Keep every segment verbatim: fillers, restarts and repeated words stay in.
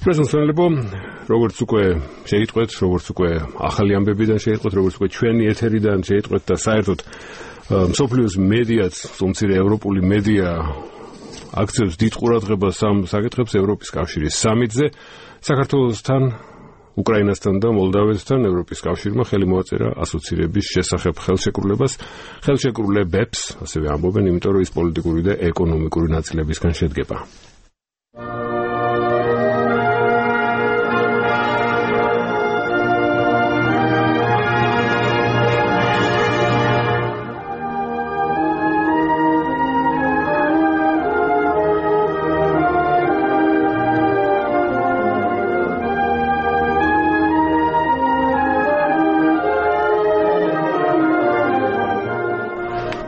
პრეზიდენტებო, როგორც უკვე შეიტყვეთ, როგორც უკვე ახალი ამბებიდან შეიტყვეთ, როგორც უკვე ჩვენი ეთერიდან შეიტყვეთ და საერთოდ მსოფლიოს მედიაც, უმცირე ევროპული მედია აქცევს დიდ ყურადღებას ამ საკითხებს ევროპის კავშირის სამიტზე, საქართველოსთან, უკრაინასთან და მოლდავეთთან ევროპის კავშირმა ხელი მოაწერა ასოცირების შესახებ ხელშეკრულებას, ხელშეკრულებებს, ასევე ამბობენ, იმიტომ რომ ის პოლიტიკური და ეკონომიკური ნაწილებისგან შედგება.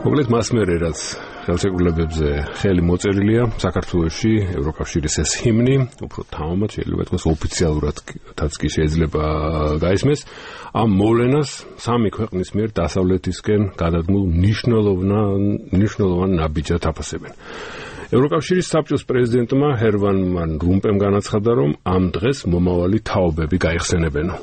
მოკლედ მას მერე რაც ხელშეკრულებებზე ხელი მოწერილია საქართველოში ევროკავშირის ეს ჰიმნი, უფრო თავმად შეიძლება ითქვას ოფიციალურადაც კი შეიძლება გაისმეს, ამ მოვლენას სამი ქვეყნის მიერ დასავლეთისკენ გადადგმულ მნიშვნელოვან ნაბიჯად აფასებენ. ევროკავშირის საბჭოს პრეზიდენტმა ჰერმან ვან რომპემ განაცხადა, რომ ამ დღეს მომავალი თაობები გაიხსენებენო.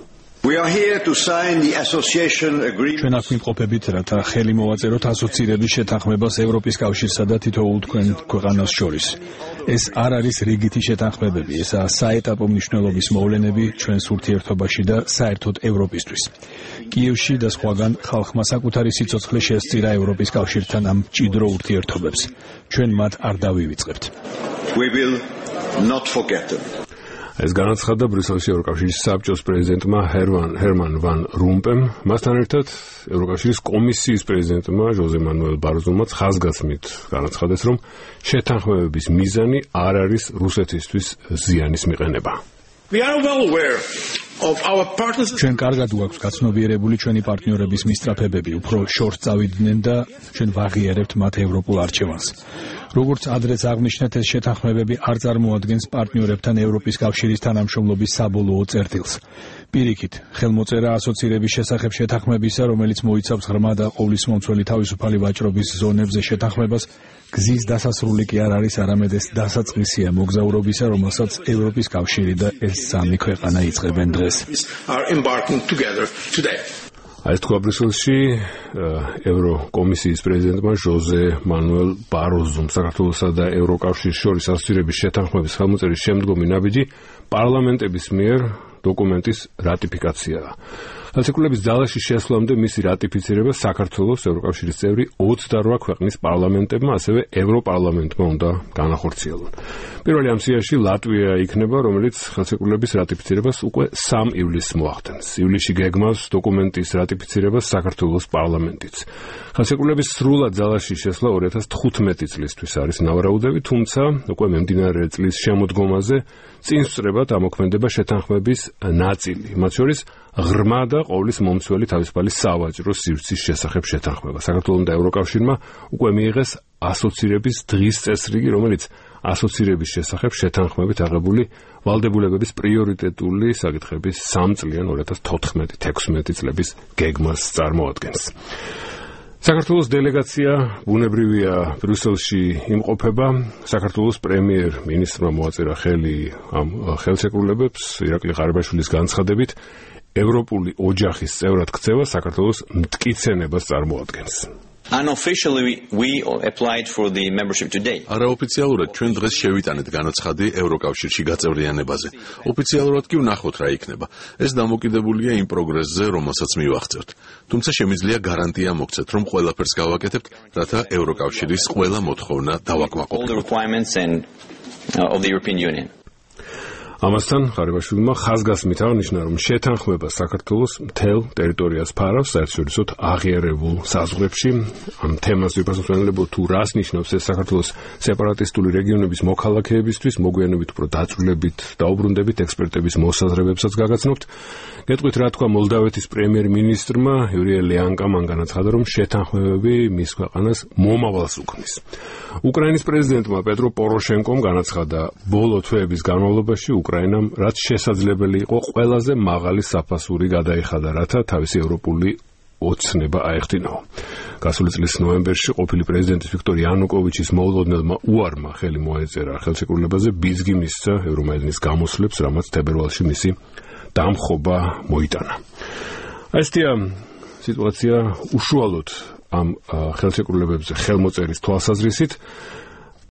We are here to sign the association agreement. ჩვენ აქ ვიმყოფებით, რათა ხელი მოვაწეროთ ასოცირების შეთანხმებას ევროპის კავშირსა და თითოეულ თქვენ ქვეყანას შორის. ეს არ არის რიგითი შეთანხმებები, ესაა საეტაპო მნიშვნელობის მოვლენები ჩვენს ურთიერთობაში და საერთოდ ევროპისთვის. კიევში და სხვაგან ხალხმა საკუთარი სიცოცხლე შესწირა ევროპის კავშირთან ამ მჭიდრო ურთიერთობებს. ჩვენ მათ არ დავივიწყებთ. We will not forget them. ეს განაცხადა ბრიუსელში ევროკავშირის საბჭოს პრეზიდენტმა ჰერმან ვან რომპემ, მასთან ერთად ევროკავშირის კომისიის პრეზიდენტმა ჟოზე მანუელ ბაროზომაც ხაზგასმით განაცხადეს, რომ შეთანხმებების მიზანი არ არის რუსეთისთვის ზიანის მიყენება. We are well aware of our partners. ჩვენ კარგად გვაქვს გაცნობიერებული ჩვენი პარტნიორების მისწრაფებები, უფრო შორს წავიდნენ და ჩვენ ვაღიარებთ მათ ევროპულ არჩევანს. როგორც ადრეც აღნიშნეთ, ეს შეთანხმებები არ წარმოადგენს პარტნიორებთან ევროპის კავშირის თანამშრომლობის საბოლოო წერტილს. პირიქით, ხელმოწერა ასოცირების შესახებ შეთანხმებისა, რომელიც მოიცავს ღრმა და ყოვლისმომცველი თავისუფალი ვაჭრობის ზონებზე შეთანხმებას, გზის დასასრული კი არ არის, არამედ ეს დასაწყისია მოგზაურობისა, რომელსაც ევროპის კავშირი და ეს სამი ქვეყანა იწყებენ დღეს. აი ეს თქვა ბრიუსელში ევროკომისიის პრეზიდენტმა ჟოზე მანუელ ბაროზომ საქართველოსა და ევროკავშირის შორის ასოცირების შეთანხმების ხელმოწერის შემდგომი ნაბიჯი პარლამენტების მიერ დოკუმენტის რატიფიკაციაა. ხელშეკრულების ძალაში შესვლამდე მისი რატიფიცირება საქართველოს ევროკავშირის წევრი ოცდარვა ქვეყნის პარლამენტებმა, ასევე ევროპარლამენტმა უნდა განახორციელონ. პირველი ამ სიაში ლატვია იქნება, რომელიც ხელშეკრულების რატიფიცირებას უკვე სამ ივლისს მოახდენს. ივლისში გეგმავს დოკუმენტის რატიფიცირებას საქართველოს პარლამენტიც. ხელშეკრულების სრულად ძალაში შესვლა ორი ათას თხუთმეტი წლისთვის არის ნავარაუდები, თუმცა უკვე მიმდინარე წლის შემოდგომაზე წინ სწრებად ამოქმედება შეთანხმების ნაწილი, მათ შორის ღრმა და ყოვლის მომცველი თავისუფალი სავაჭრო სივრცის შესახებ შეთანხმება. საქართველოს და ევროკავშირმა უკვე მიიღეს ასოცირების დღის წესრიგი, რომელიც ასოცირების შესახებ შეთანხმებით აღებული ვალდებულებების პრიორიტეტული საკითხების სამწლიან ორი ათას თოთხმეტი თექვსმეტი წლების გეგმას წარმოადგენს. საქართველოს დელეგაცია ბუნებრივია ბრიუსელში იმყოფება. საქართველოს პრემიერ-მინისტრმა მოაწერა ხელი ამ ხელშეკრულებებს ირაკლი ყარიბაშვილის განცხადებით, ევროპული ოჯახის წევრად ქცევა საქართველოს მტკიცენებას წარმოადგენს. Unofficially we applied for the membership today. არაოფიციალურად ჩვენ დღეს შევიტანეთ განაცხადი ევროკავშირში გაწევრიანებაზე. ოფიციალურად კი ვნახოთ რა იქნება. ეს დამოკიდებულია იმ პროგრესზე, რომელსაც მივახცევთ. თუმცა შემიძლია გარანტია მოგცეთ, რომ ყველაფერს გავაკეთებთ, რათა ევროკავშირის ყველა მოთხოვნა დავაკმაყოფილოთ. ამასთან ყარიბაშვილმა ხაზგასმით აღნიშნა, რომ შეთანხმება საქართველოს მთელ ტერიტორიას ფარავს, საერთაშორისო აღიარებულ საზღვრებში. ამ თემას ვიფასებთ, თუ რას ნიშნავს ეს საქართველოს სეპარატისტული რეგიონების მოქალაქეებისთვის, მოგვიანებით უფრო დაწვრილებით, დაუბრუნდებით ექსპერტების მოსაზრებებსაც გაგაცნობთ. გეტყვით, რა თქვა მოლდავეთის პრემიერ-მინისტრმა იურია ლეანკამ, მან განაცხადა, რომ შეთანხმებები მის ქვეყანას მომავალს უქმნის. უკრაინის პრეზიდენტმა პეტრო პოროშენკომ განაცხადა, ბოლო თვეების განმავლობაში უკრაინამ რაც შესაძლებელი იყო ყველაზე მაღალი საფასური გადაიხადა, რათა თავისი ევროპული ოცნება აეხდინაო. გასული წლის ნოემბერში ყოფილი პრეზიდენტის ვიქტორ იანუკოვიჩის მოულოდნელმა უარმა ხელი მოეწერა ხელშეკრულებაზე, ბიძგი მისცა ევრომაიდანის გამოსვლებს, რამაც თებერვალში მისი დამხობა მოიტანა. ესეთი სიტუაცია უშუალოდ ამ ხელშეკრულებებზე ხელმოწერის თვალსაზრისით